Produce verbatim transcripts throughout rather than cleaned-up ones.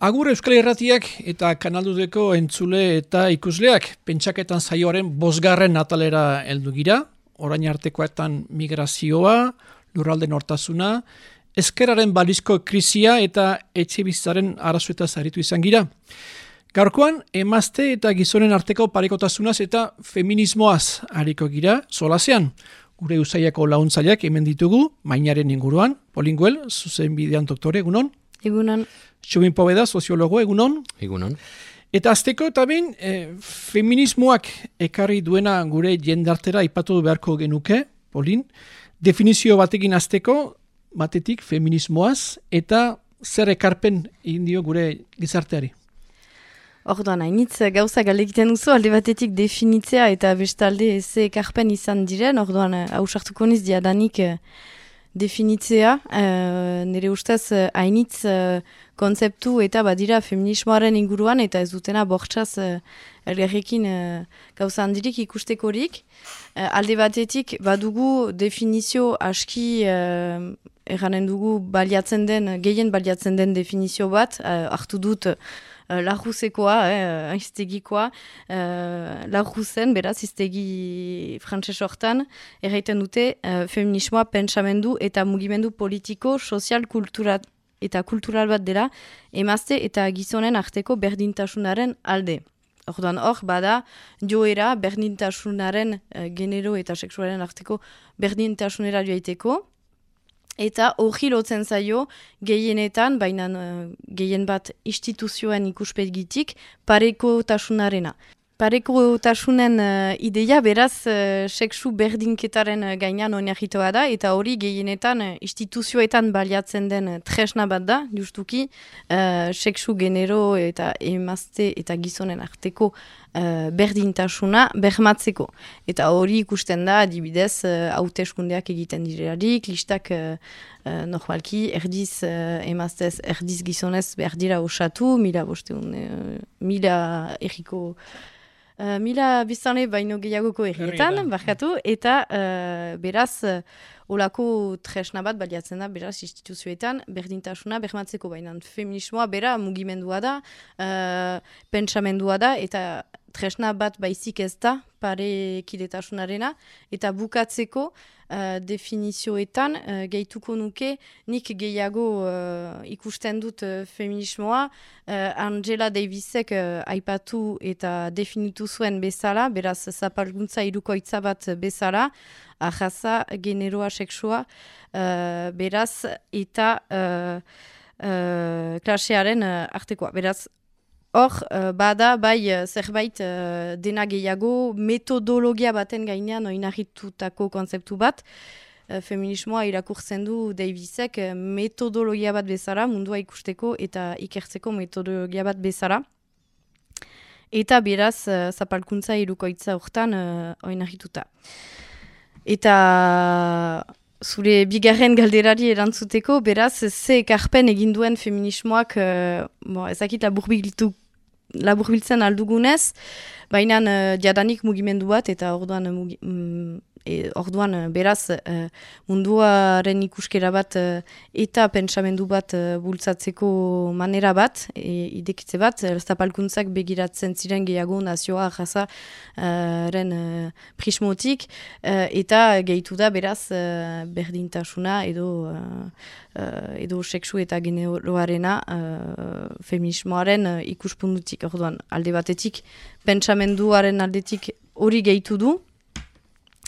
Agur Euskal Irratiak eta Kanaldudeko entzule eta ikusleak pentsaketan saioaren bosgarren atalera heldu gira, orain artekoetan migrazioa, lurralde nortasuna, ezkerraren balizko krisia eta etxebizitzaren arazoetaz aritu izan gira. Gaurkoan, emazte eta gizonen arteko parekotasunaz eta feminismoaz ariko gira, solasean. Gure usaiako launtzaileak hemen ditugu, mainaren inguruan, Polinguel, zuzen bidean doktore, egunon? Egunon. Txomin Poveda, soziologo, egunon? Egunon. Eta azteko eta ben, e, feminismoak ekarri duena gure jendartera aipatu beharko genuke, Polin. Definizio batekin azteko, batetik feminismoaz, eta zer ekarpen egin dio gure gizarteari? Orduan, hainitz gauza galekiten duzu, alde batetik definitzea eta bestalde ze ekarpen izan diren, orduan, hausartuko niz diadanik definitzea, uh, nire ustez hainitz uh, konzeptu eta badira feminismoaren inguruan eta ez dutena bortxaz uh, elgarrekin uh, gauza handirik ikustekorik. Uh, alde batetik badugu definizio aski uh, erranen dugu baliatzen den, gehien baliatzen den definizio bat, uh, hartu dut Larruzekoa, eh, iztegikoa, uh, Larruzen, beraz, iztegi frantses hortan, erraiten dute uh, feminismoa pentsamendu eta mugimendu politiko, sozial, kultura eta kultural bat dela, emazte eta gizonen arteko berdintasunaren alde. Orduan hor, bada, joera berdintasunaren uh, genero eta seksualen arteko berdintasunera joaiteko, eta hori lotzen zaio gehienetan, baina uh, gehien bat instituzioen ikuspegitik, parekotasunarena. Parekotasunen uh, ideia beraz uh, seksu berdinketaren uh, gainean oinarritua da, eta hori gehienetan uh, instituzioetan baliatzen den uh, tresna bat da, justuki, uh, seksu genero eta emazte eta gizonen arteko uh, berdintasuna bermatzeko. Eta hori ikusten da, adibidez, uh, hauteskundeak egiten direlarik, listak uh, uh, normalki erdiz uh, emaztez, erdiz gizonez behar dira osatu, mila bosteun, uh, mila erriko Uh, mila biztanle baino gehiagoko herrietan, barkatu, eta uh, beraz, uh, olako tresna bat baliatzen da, beraz, instituzioetan, berdintasuna bermatzeko baina feminismoa, bera, mugimendua da, uh, pentsamendua da, eta tresna bat baizik ez da, pare kidetasunarena, eta bukatzeko uh, definizioetan, uh, gehituko nuke, nik gehiago uh, ikusten dut uh, feminismoa, uh, Angela Davisek uh, aipatu eta definitu zuen bezala, beraz, zapalguntza irukoitza bat bezala, ahaza, generoa, seksua, uh, beraz, eta uh, uh, klasearen uh, artekoa. Beraz, hor, uh, bada, bai, uh, zerbait uh, dena gehiago, metodologia baten gainean oinarritutako konzeptu bat, uh, feminismoa irakurtzen du Davisek uh, metodologia bat bezala, mundua ikusteko eta ikertzeko metodologia bat bezala. Eta beraz, uh, zapalkuntza irukoitza hortan uh, oinarrituta. Eta zure bigarren galderari erantzuteko, beraz, ze ekarpen egin duen feminismoak, uh, bon, ezakit laburbiltu, laburbiltzen aldugunez, baina uh, diadanik mugimendu bat, eta orduan, mugi, mm, e, orduan beraz, uh, munduaren ikuskera bat uh, eta pentsamendu bat uh, bultzatzeko manera bat, e, idekitze bat, uh, zapalkuntzak begiratzen ziren gehiago nazioa jaza uh, ren uh, prismotik, uh, eta gehitu da beraz uh, berdintasuna edo uh, uh, edo seksu eta generoarena uh, feminismoaren uh, ikuspundutik. Orduan, alde batetik, pentsamenduaren aldetik hori gehitu du,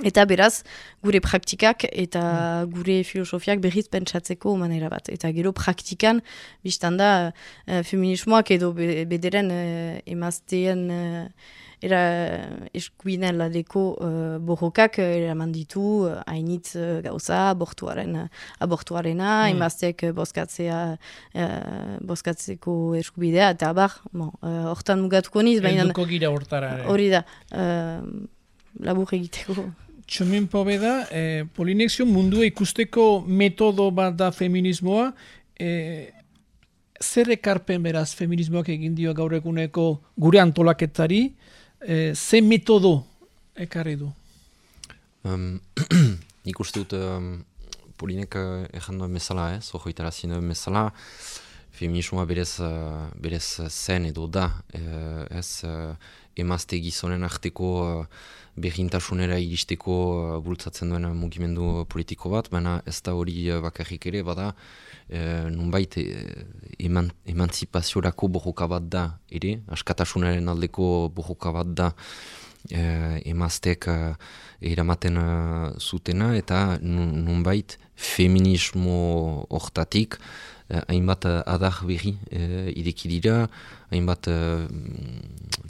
eta beraz, gure praktikak eta gure filosofiak berriz pentsatzeko manera bat. Eta gero praktikan, biztan da, uh, feminismoak edo be, bederen uh, emazteen uh, era eskuinen ladeko uh, borrokak uh, eraman ditu, uh, hainitz uh, gauza, abortuaren, uh, abortuarena, mm. emazteek uh, bozkatzea, uh, bozkatzeko eskubidea, eta abar, bon, uh, hortan mugatuko niz, baina Elduko gira hortara. Hori da, uh, labur egiteko. Txomin Poveda, eh, Polinexio mundua ikusteko metodo bat da feminismoa, eh, zer ekarpen beraz feminismoak egin dio gaur eguneko gure antolaketari, eh, ze metodo ekarri du? Um, nik uste dut um, Polinek uh, erran duen bezala, ez, ojoitara zin duen bezala, feminismoa berez, uh, berez zen edo da, uh, ez uh, emazte gizonen arteko uh, berrintasunera iristeko uh, bultzatzen duen mugimendu politiko bat, baina ez da hori uh, bakarrik ere, bada uh, nunbait uh, eman, emantzipaziorako borroka bat da ere, askatasunaren aldeko borroka bat da uh, emaztek uh, eramaten uh, zutena, eta nunbait feminismo hortatik Uh, hainbat uh, adar berri uh, ideki dira, hainbat uh,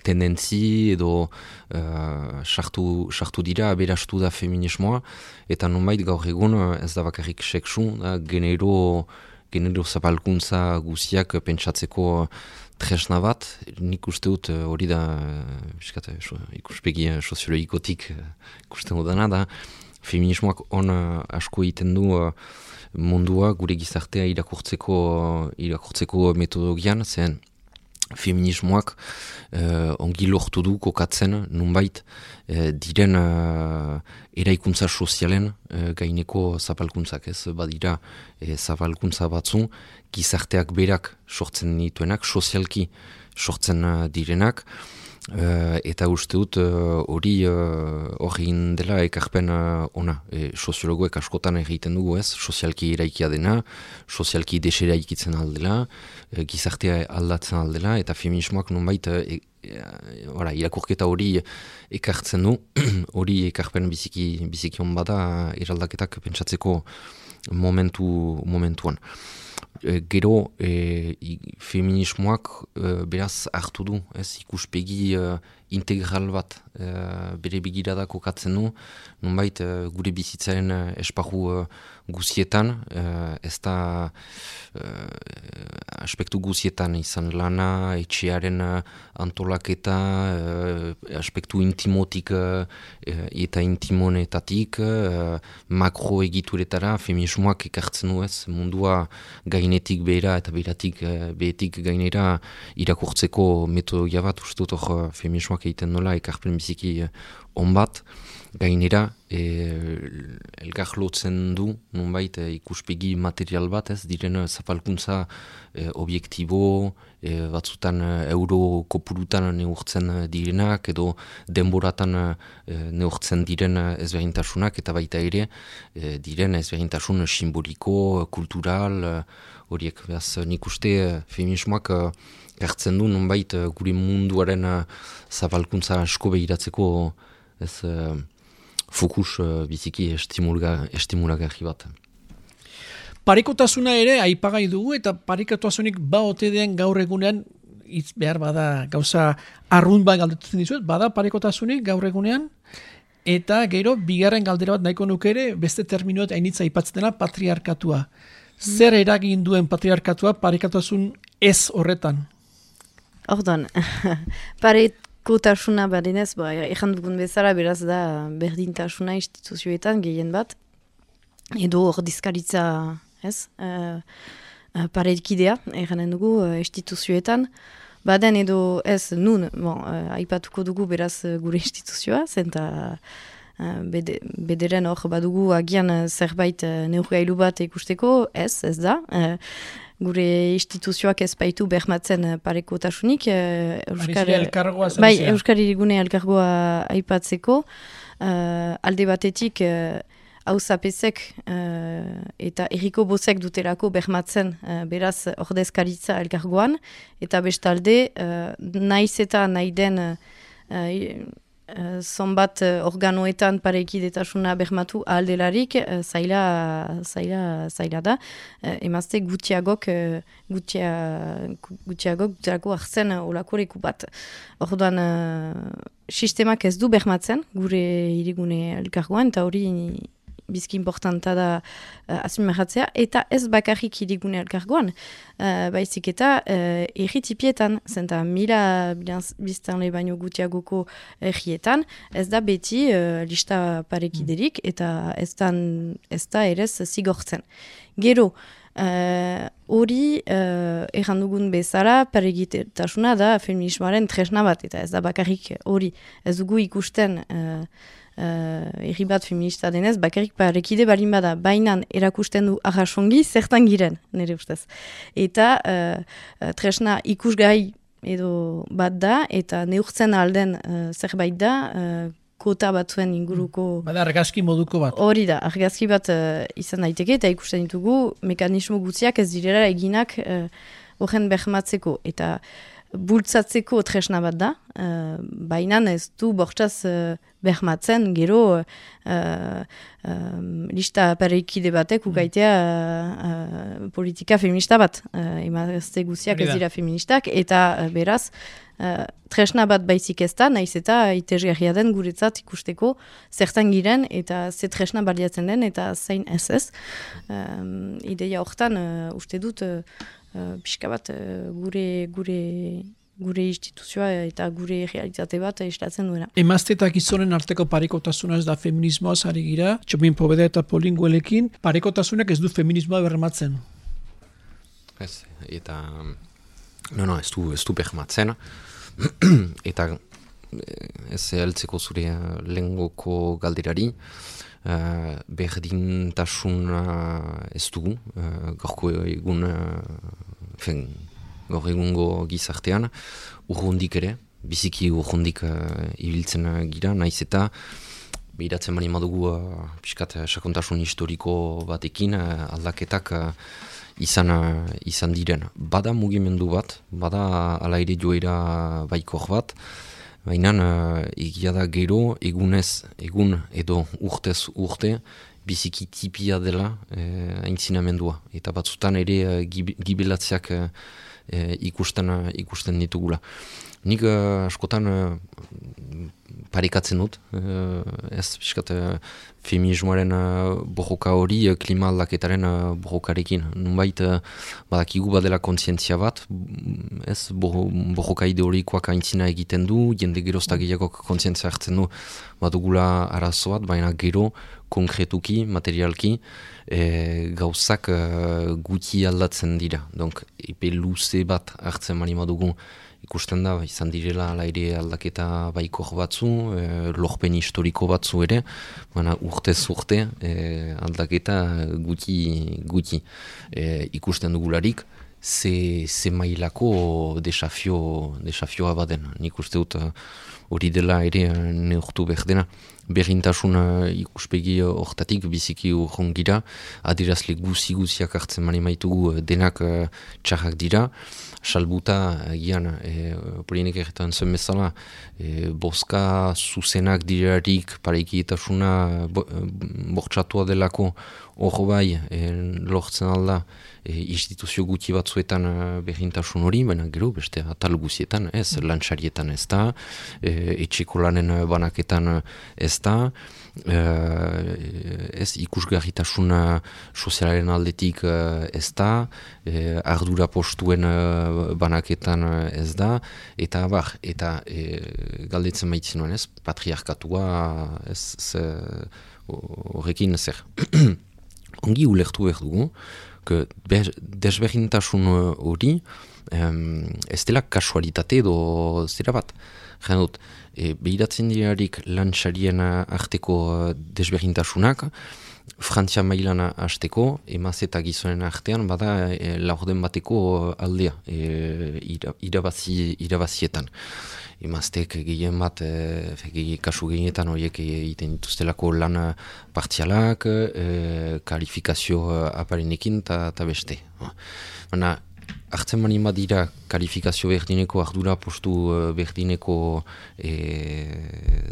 tendentzi edo sartu uh, dira, aberastu da feminismoa, eta nonbait gaur egun uh, ez da bakarrik seksu, da genero, genero zapalkuntza guziak uh, pentsatzeko tresna bat, nik uste dut uh, hori da uh, ikuspegi uh, soziologikotik uh, ikusten dudana da, feminismoak on uh, asko egiten du uh, mundua gure gizartea irakurtzeko irakurtzeko metodologian, zen feminismoak uh, ongi lortu du kokatzen nunbait uh, diren uh, eraikuntza sozialen uh, gaineko zapalkuntzak, ez badira uh, zapalkuntza batzu gizarteak berak sortzen dituenak, sozialki sortzen uh, direnak, Uh, eta uste dut hori uh, hori uh, dela ekarpen uh, ona. E, soziologoek askotan egiten dugu ez, sozialki eraikia dena, sozialki deseraikitzen aldela, e, gizartea aldatzen aldela, eta feminismoak nonbait e, e, ora, irakurketa hori ekartzen du, hori ekarpen biziki, biziki hon bada eraldaketak pentsatzeko momentu, momentuan. E, gero e, i, feminismoak e, beraz hartu du, ez, ikuspegi e, integral bat e, bere begirada kokatzen du, nonbait e, gure bizitzaren e, esparru e, guzietan, e, ez da e, aspektu guzietan izan lana, etxearen e, antolaketa, e, aspektu intimotik e, eta intimonetatik, e, makro egituretara feminismoak ekartzen du, ez, mundua gainetik behera eta beheratik behetik gainera irakurtzeko metodologia bat, uste dut hor feminismoak egiten nola ekarpen biziki on bat, gainera e, elgar lotzen du nonbait e, ikuspegi material bat, ez diren zapalkuntza e, objektibo, e, batzutan e, euro kopurutan neurtzen direnak edo denboratan e, neurtzen diren ezberdintasunak, eta baita ere e, diren ezberdintasun simboliko, kultural, horiek. Beraz, nik uste feminismoak hartzen du nonbait gure munduaren zapalkuntza asko behiratzeko ez uh, fokus uh, biziki estimulagarri bat. Parekotasuna ere aipagai dugu, eta parekotasunik ba ote den gaur egunean, hitz behar bada gauza arrunt bat galdetzen dizuet, bada parekotasunik gaur egunean, eta gero bigarren galdera bat nahiko nuke ere, beste terminoet hainitza aipatzen dela patriarkatua. Zer eragin duen patriarkatua parekotasun ez horretan? Ordan, parekotasuna badinez, ba, ejan dugun bezala beraz da berdintasuna instituzioetan gehien bat, edo ordizkaritza, ez, uh, uh, parekidea, eranen dugu uh, instituzioetan, baden edo ez nun, bon, uh, aipatuko dugu beraz uh, gure instituzioa, zenta uh, bede, bederen hor badugu agian uh, zerbait uh, neurgailu bat ikusteko, ez, ez da, uh, gure instituzioak ez baitu bermatzen parekotasunik. Uh, Euskar, bai, Euskari Gune elkargoa aipatzeko, uh, alde batetik uh, hauzapezek uh, eta erriko bozek dutelako bermatzen uh, beraz ordezkaritza elkargoan, eta bestalde uh, naiz eta nahi den uh, uh, zonbat uh, organoetan parekidetasuna bermatu ahaldelarik, uh, zaila, zaila, zaila da, uh, emazte gutxiagok, uh, gutxia, gutxiagok dutelako hartzen uh, olako leku bat. Orduan, uh, sistemak ez du bermatzen gure hirigune elkargoan, eta hori bizki importanta da uh, azpimarratzea, eta ez bakarrik hirigune elkargoan, uh, baizik eta uh, erritipietan, zenta mila biztanle baino gutiagoko errietan, ez da beti uh, lista parekiderik, eta ez da, ez da erez zigortzen. Gero, hori uh, uh, errandugun bezala parekidetasuna da feminismoaren tresna bat, eta ez da bakarrik hori, ez dugu ikusten uh, erri bat feminista denez, bakarrik parekide balin bada, bainan erakusten du arrasongi zertan giren, nire ustez. Eta uh, tresna ikusgai edo bat da, eta neurtzen alden uh, zerbait da, uh, kota batzuen inguruko... Bada argazki moduko bat. Hori da, argazki bat uh, izan daiteke, eta ikusten ditugu mekanismo guztiak ez direla eginak horren uh, behmatzeko. Eta bultzatzeko tresna bat da, uh, baina ez du bortzaz uh, behmatzen, gero uh, uh, lista pareikide batek ukaitea uh, uh, politika feminista bat. Uh, emazte guztiak ez dira feministak, eta uh, beraz, Uh, tresna bat baizik ez da, nahiz eta itesgarria den guretzat ikusteko zertan giren eta ze tresna baliatzen den eta zein ez ez. Um, ideia hortan, uh, uste dut, uh, uh, pixka bat uh, gure, gure, gure instituzioa eta gure realitate bat islatzen duena. Emazte eta gizonen arteko parekotasuna ez da feminismoaz ari gira, Txomin Poveda eta Polinguelekin, parekotasunak ez du feminismoa bermatzen. Ez, eta... No, no, ez du, ez du behmatzen. Eta ez heltzeko zure lehengoko galderari, uh, berdintasuna ez dugu, uh, gaurko egun, uh, fen, gaur egungo gizartean, urrundik ere, biziki urrundik uh, ibiltzen gira, naiz eta behiratzen bani madugu uh, piskat sakontasun historiko batekin, uh, aldaketak uh, Izan, izan diren. Bada mugimendu bat, bada ala ere joera baikor bat, baina uh, egia da gero egunez, egun edo urtez urte, biziki tipia dela eh, aintzinamendua. Eta batzutan ere uh, gib, gibelatzeak uh, ikusten, uh, ikusten ditugula. Nik uh, askotan uh, parekatzen dut, uh, ez piskat uh, feminismoaren uh, borroka hori uh, klima aldaketaren uh, borrokarekin. Nunbait uh, badakigu badela kontzientzia bat, ez borroka ideorikoak aintzina egiten du, jende gerozta gehiagok kontzientzia hartzen du badugula arazo bat, baina gero konkretuki, materialki, e, gauzak uh, guti aldatzen dira. Donc, epe luze bat hartzen mani badugu, ikusten da, izan direla ala ere aldaketa baikor batzu, e, lorpen historiko batzu ere, baina urtez urte e, aldaketa guti, guti e, ikusten dugularik, ze, ze mailako desafio, desafioa baden. Nik uste dut hori dela ere neurtu behar dena. Berrintasun ikuspegi hortatik biziki urrongira, adirazle guzi-guziak hartzen mani maitugu denak uh, txarrak dira, salbuta gian, e, polinek erretan zen bezala, e, boska zuzenak dirarik parekietasuna bo, bortxatua delako hor bai e, lortzen alda e, instituzio guti batzuetan berrintasun hori, baina gero beste atal guzietan ez, lantxarietan ez da, e, etxeko lanen banaketan ez da, Uh, ez ikusgarritasun sozialaren aldetik uh, ez da, uh, ardura postuen uh, banaketan uh, ez da, eta bar, eta uh, galdetzen maitzen nuen ez, patriarkatua ez horrekin zer. Ongi ulertu behar dugu, que desberdintasun hori um, ez dela kasualitate edo zera bat. Jena dut, e, behiratzen dirarik lantxarien arteko desberdintasunak, Frantzia mailan hasteko, emaz eta gizonen artean, bada e, laurden bateko aldea, e, ira, irabazi, irabazietan. Emaztek gehien bat, e, gehi, kasu gehienetan horiek egiten dituztelako lan partzialak, e, kalifikazio aparenekin eta beste. Baina, hartzen mani bat dira kalifikazio berdineko, ardura postu berdineko e,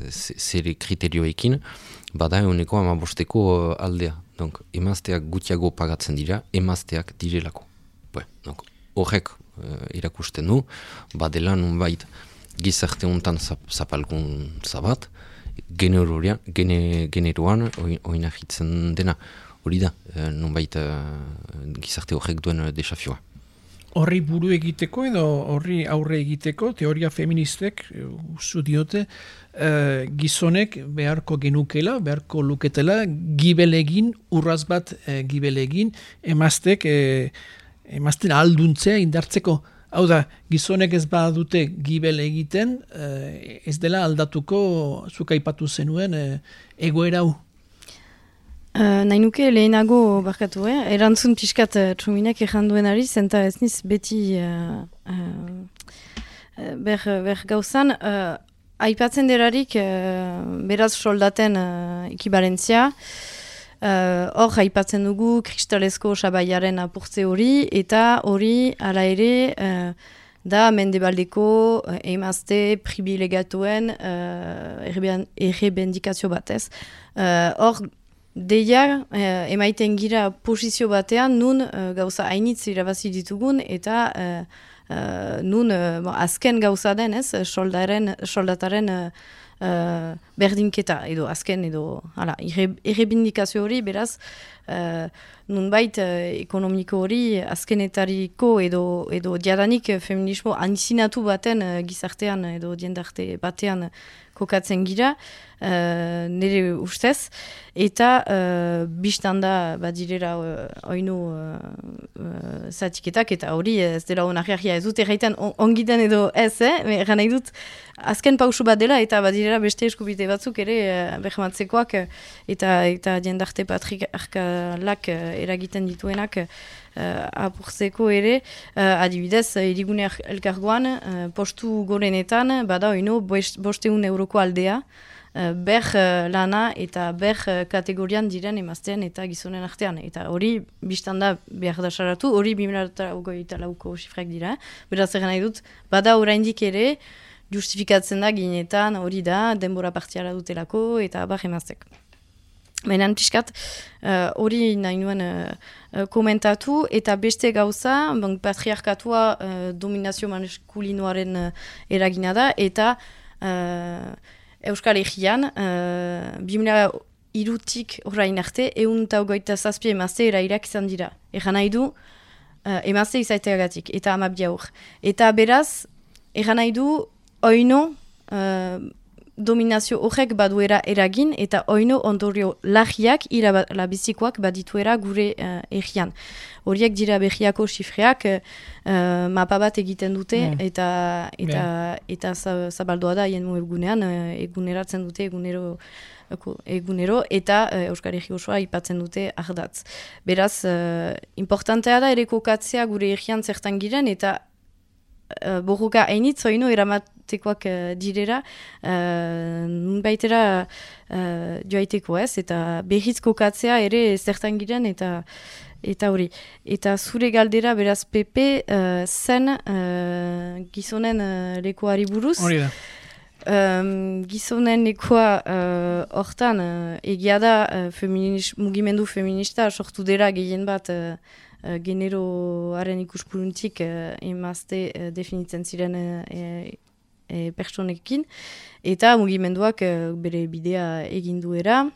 zere kriterioekin, bada eguneko amabosteko aldea. Donc, emazteak gutiago pagatzen dira, emazteak direlako. Donc, horrek e, irakusten du, badela nunbait gizarte honetan zap, zapalgun zabat, generoan, gene, generoan oinahitzen dena. Hori da, e, nunbait e, gizarte horrek duen desafioa. Horri buru egiteko edo horri aurre egiteko, teoria feministek, usu diote, uh, gizonek beharko genukela, beharko luketela, gibelegin, urraz bat uh, gibelegin, emaztek, uh, emazten alduntzea indartzeko. Hau da, gizonek ez badute gibel egiten, eh, ez dela aldatuko, zuk aipatu zenuen, eh, egoera hau. Uh, nahi nuke lehenago barkatu, eh? Erantzun pixkat uh, txuminak ejan duenari, zenta ez niz beti uh, uh, ber, ber gauzan, uh, aipatzen derarik uh, beraz soldaten uh, ekibalentzia, hor uh, aipatzen dugu kristalezko sabaiaren apurtze hori, eta hori ala ere uh, da mendebaldeko uh, emazte privilegatuen uh, errebendikazio batez. Hor, uh, Deia, eh, emaiten gira posizio batean, nun uh, gauza hainitz irabazi ditugun, eta uh, uh, nun uh, bon, azken gauza den, ez, soldaren, soldataren uh, uh, berdinketa, edo azken, edo, hala, errebindikazio hori, beraz, uh, nunbait uh, ekonomiko hori azkenetariko, edo, edo diadanik feminismo antzinatu baten uh, gizartean, edo diendarte batean kokatzen gira, uh, nire ustez, eta uh, biztanda badirera uh, oinu uh, uh, zatiketak, eta hori ez dela onarriarria ez dut erraiten on, ongitan edo ez, eh? Eran nahi dut azken pausu bat dela, eta badirera beste eskubite batzuk ere uh, behmatzekoak, uh, eta, eta jendarte patriarkalak uh, eragiten dituenak, Uh, apurtzeko ere, uh, adibidez, irigune elkargoan, uh, postu gorenetan, bada oino, bosteun euroko aldea, uh, ber uh, lana eta ber uh, kategorian diren emaztean eta gizonen artean. Eta hori, biztanda behar da saratu, hori bi mila hogeita lauko sifrak dira. Beraz, egin nahi dut, bada oraindik ere, justifikatzen da ginetan, hori da, denbora partiala dutelako, eta bar emaztek. Baina piskat, hori uh, nahi nuen uh, komentatu, eta beste gauza, bon, patriarkatua uh, dominazio maskulinoaren uh, eragina da, eta uh, Euskal Herrian, uh, bi mila hirutik orain arte, ehun eta hogeita zazpi emazte erairak izan dira. Egan nahi du, uh, emazte izaiteagatik, eta amabia hor. Eta beraz, egan nahi du, oino, uh, dominazio horrek baduera eragin, eta oino ondorio lagiak, irabizikoak badituera gure uh, errian. Horiek dira behiako sifreak, uh, mapa bat egiten dute, mm. eta, eta, eta zabaldoa da, hien egunean, uh, eguneratzen dute, egunero, egunero eta uh, Euskal Herri osoa ipatzen dute ardatz. Beraz, uh, importantea da ere kokatzea gure errian zertan giren, eta uh, borroka hainitz oino eramatekoak uh, direra, uh, nunbaitera uh, joaiteko ez, eta berriz kokatzea ere zertan giren, eta eta hori. Eta zure galdera beraz P P uh, zen uh, gizonen uh, lekoari buruz. Hori da. Um, gizonen lekoa hortan uh, egia da uh, feminis, mugimendu feminista sortu dela gehien bat uh, uh, generoaren ikuspuntik uh, emazte uh, definitzen ziren uh, e, e, pertsonekin, eta mugimenduak uh, bere bidea egin duera.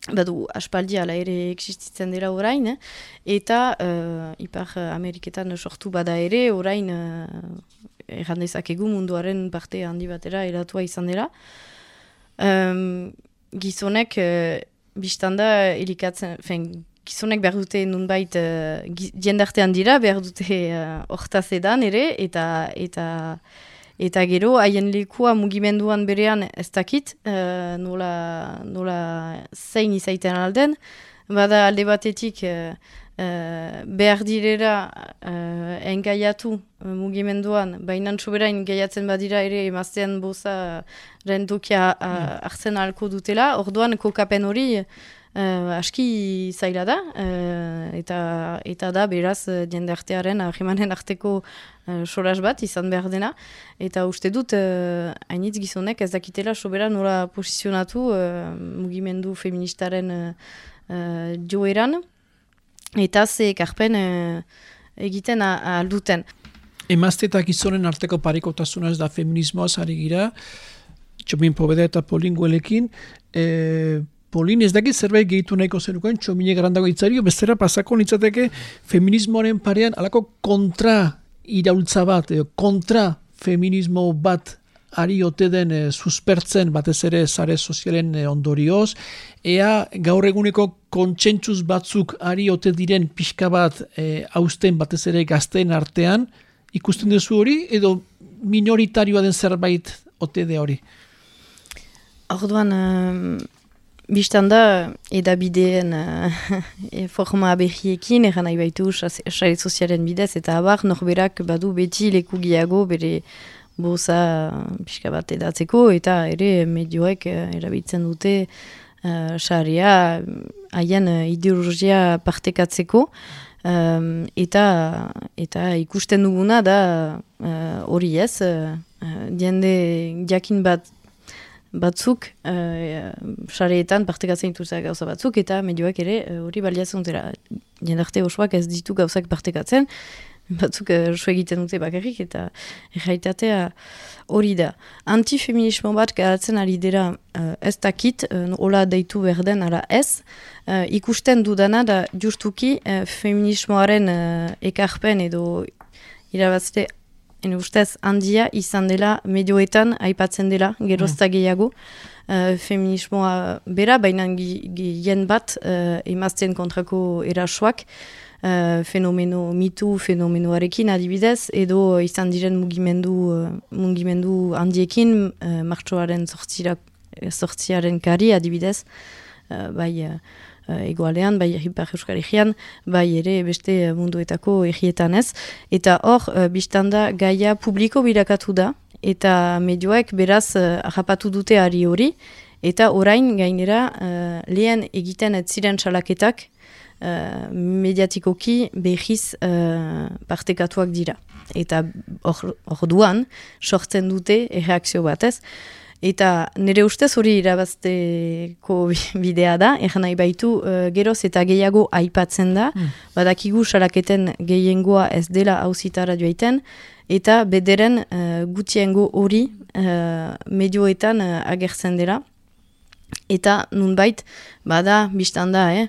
Badu, aspaldi ala ere existitzen dela orain, eh? Eta uh, Ipar Ameriketan sortu bada ere, orain uh, errandezakegu munduaren parte handi batera eratua izan dela. Um, gizonek, uh, biztanda, elikatzen, fen, gizonek behar dute nunbait uh, diendartean dira, behar dute hortaz uh, edan ere, eta... eta Eta gero, haien lekua mugimenduan berean ez dakit, uh, nola, nola zein izaiten alden. Bada alde batetik uh, uh, behar direra uh, engaiatu uh, mugimenduan, baina soberain gaiatzen badira ere emaztean boza rentokia uh, hartzen ahalko dutela. Orduan kokapen hori uh, aski zaila da, uh, eta, eta da beraz diendartearen ahimanen arteko Uh, solas bat izan behar dena, eta uste dut uh, hainitz gizonek ez dakitela sobera nola posizionatu uh, mugimendu feministaren uh, uh, joeran, eta ze ekarpen uh, egiten alduten. Emazte eta gizonen arteko parekotasuna ez da feminismoaz ari gira, Txomin Poveda eta Polin Guelekin, e, Polin ez dakit zerbait gehitu nahiko zenukoen, Txomine garandago itzario, bestera pasako nintzateke feminismoaren parean alako kontra iraultza bat, edo kontra feminismo bat ari ote den e, suspertzen batez ere sare sozialen e, ondorioz, ea gaur eguneko kontsentsuz batzuk ari ote diren pixka bat e, hausten batez ere gazteen artean, ikusten duzu hori, edo minoritarioa den zerbait ote de hori? Orduan, um, biztan da, edabideen uh, forma berriekin, eran nahi baitu sare sozialen bidez, eta abar, norberak badu beti leku gehiago bere boza pixka bat edatzeko, eta ere medioek uh, erabiltzen dute sarea uh, haien uh, ideologia partekatzeko, um, eta, eta ikusten duguna da hori uh, ez, uh, uh, diende jakin bat batzuk, sareetan uh, partekatzen dituzak gauza batzuk, eta medioak ere hori uh, baliatzen dutera. Jendarte osoak ez ditu gauzak partekatzen, batzuk uh, egiten dute bakarrik, eta erraitatea hori da. Antifeminismo bat garatzen ari dira uh, ez dakit, uh, hola deitu berden ala ez, uh, ikusten dudana da justuki uh, feminismoaren uh, ekarpen edo irabazte Ene ustez, handia izan dela medioetan aipatzen dela, gerozta gehiago. Uh, feminismoa bera, baina gien bat uh, emazten kontrako erasoak, uh, fenomeno mitu fenomenoarekin adibidez, edo izan diren mugimendu, uh, mugimendu handiekin, uh, martxoaren sortziaren kari adibidez, uh, bai... Uh, Uh, egoalean, bai Ipar Euskal Herrian, bai ere beste munduetako herrietan ez. Eta hor, uh, biztanda gaia publiko birakatu da, eta medioek beraz uh, harrapatu dute ari hori, eta orain gainera uh, lehen egiten ez ziren salaketak uh, mediatikoki behiz uh, partekatuak dira. Eta hor, hor duan, sortzen dute erreakzio batez. Eta nire ustez hori irabazteko bidea da, egan nahi baitu uh, geroz eta gehiago aipatzen da, mm. badakigu salaketen gehiengoa ez dela hauzitara joaiten, eta bederen uh, gutiengo hori uh, medioetan uh, agertzen dela. Eta nunbait, bada, biztan da, eh?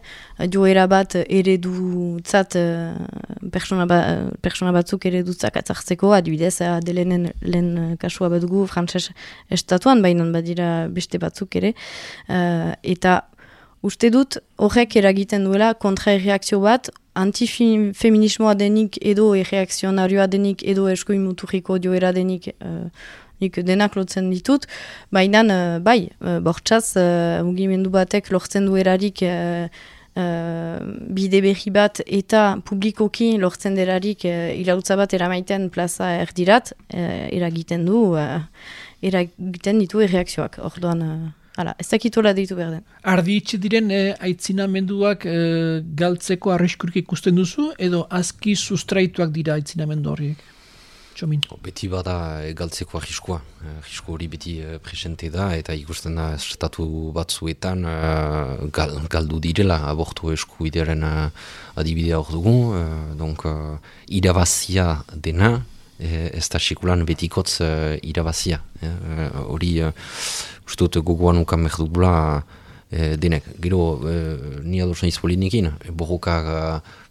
joera bat eredutzat, uh, persona, ba, persona batzuk eredutzak atzartzeko, adibidez, adelenen lehen kasua bat dugu frantses estatuan, baina badira beste batzuk ere. Uh, eta uste dut, horrek eragiten duela kontra-erreakzio bat, antifeminismoa denik edo erreakzionarioa denik edo eskuin muturriko joera denik uh, nik denak lotzen ditut, baina uh, bai, uh, bortxaz uh, mugimendu batek lortzen du erarik uh, uh, bide berri bat eta publikoki lortzen derarik uh, irautza bat eramaiten plaza erdirat, uh, eragiten du, uh, eragiten ditu erreakzioak, orduan... Uh, Hala, ez dakitola deitu behar den. Ardi itxe diren eh, aitzinamenduak eh, galtzeko arriskurik ikusten duzu, edo azki sustraituak dira aitzinamendu horiek? Txomin. Beti bada e, galtzeko arriskua. Arrisko hori beti e, presente da, eta ikusten da estatu batzuetan e, gal, galdu direla abortu eskubidearen adibidea hor dugu. E, donc, e, irabazia dena, e, ez da sekulan betikotz e, irabazia. Hori... E, Uztut gogoan ukan merdugula e, denek. Gero, e, ni adosan izpolinekin, borroka,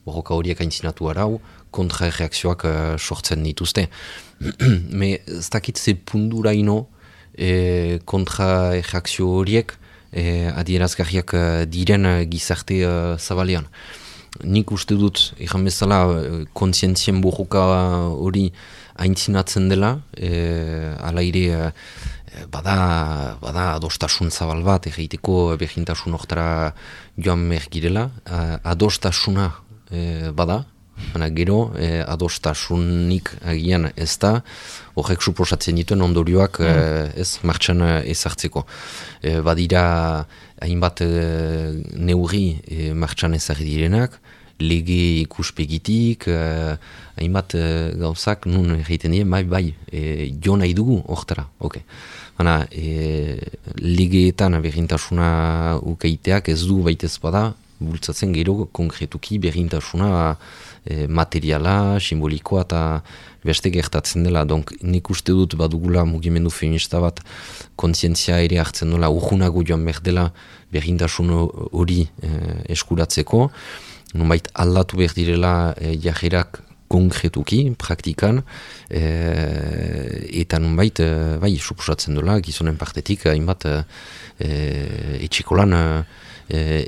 borroka horiek aintzinatu arau, kontra-reakzioak e, sortzen dituzte. Me, ez dakit ze punduraino e, kontra-reakzio horiek e, adierazgarriak diren gizarte e, zabalean. Nik uste dut, egan bezala, kontzientzien borroka hori aintzinatzen dela, e, ala ire... Bada, bada adostasun zabal bat, egiteko berdintasun hortara joan mergirela. Adostasuna e, bada, baina gero e, adostasunik agian ez da, horrek suposatzen dituen ondorioak mm. e, ez martxan ezartzeko. E, badira hainbat e, neurri e, martxan ezarri direnak, lege ikuspegitik, eh, hainbat eh, gauzak nun egiten dien, bai, bai, eh, jo nahi dugu hortara, ok. Baina, eh, legeetan berdintasuna ukeiteak ez du baitez bada, bultzatzen gero konkretuki berdintasuna eh, materiala, simbolikoa eta beste gertatzen dela. Donc, nik uste dut badugula mugimendu feminista bat kontzientzia ere hartzen dola, urgunago joan berdela berdintasun hori eh, eskuratzeko, nonbait aldatu behar direla e, jajerak konkretuki, praktikan, e, eta nonbait, e, bai, suposatzen dola, gizonen partetik, hainbat e, etxikolan e,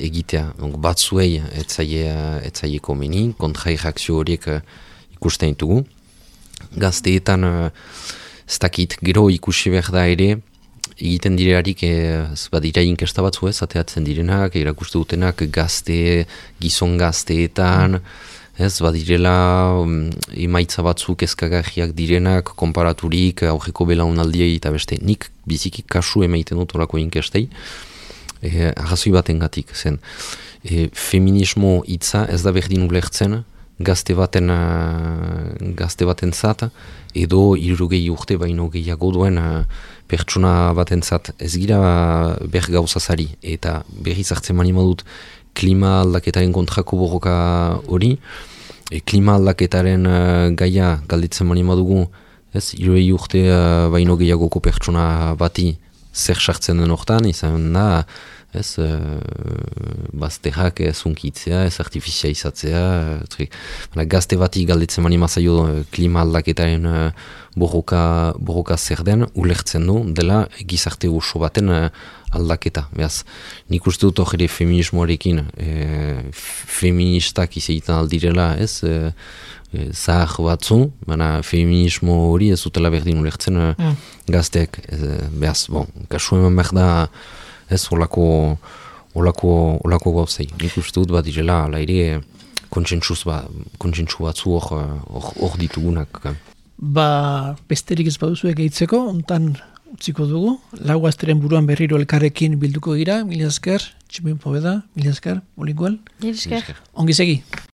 egitea. Donc, batzuei etzaie, etzaie komeni, kontra-erreakzio horiek ikusten ditugu. gazteetan uh, ez dakit, gero ikusi behar da ere, egiten direarik ez badira inkesta batzu ez, ateatzen direnak, erakuste dutenak gazte, gizon gazteetan, ez badirela um, emaitza batzuk ezkagarriak direnak, konparaturik, aurreko belaunaldiei eta beste, nik biziki kasu emaiten dut orako inkestei, e, arrazoi batengatik zen. E, feminismo hitza ez da berdin ulertzen, gazte baten, uh, gazte baten zat, edo hirurogei urte baino gehiago duen uh, pertsona baten zat, ez gira ber gauzazari, eta berriz hartzen mani modut klima aldaketaren kontrako borroka hori, e, klima aldaketaren uh, gaia galditzen mani modugu, ez, hirurogei urte uh, baino gehiagoko pertsona bati zer sartzen den hortan, izan da, ez, uh, bazterrak ez unkitzea, ez artifizializatzea, uh, gazte bati galditzen mani mazaio uh, klima aldaketaren uh, borroka, borroka zer den, ulertzen du, dela gizarte oso baten uh, aldaketa. Beaz, nik uste dut hori feminismoarekin, e, feministak izaitan aldirela, ez, e, e, zahar batzu, baina feminismo hori ez dutela berdin ulertzen mm. gazteek. E, beaz, bon, kasu eman behar da, ez, olako, olako, olako gauzei. Nik uste dut bat direla, ala ere, kontsentsu ba, batzu hor ditugunak. Ba, besterik ez baduzu egeitzeko, ontan utziko dugu, lau gazteren buruan berriro elkarrekin bilduko gira, mila esker, Tximen Poveda, mila esker, Olinguel. Mila esker. Ongi segi.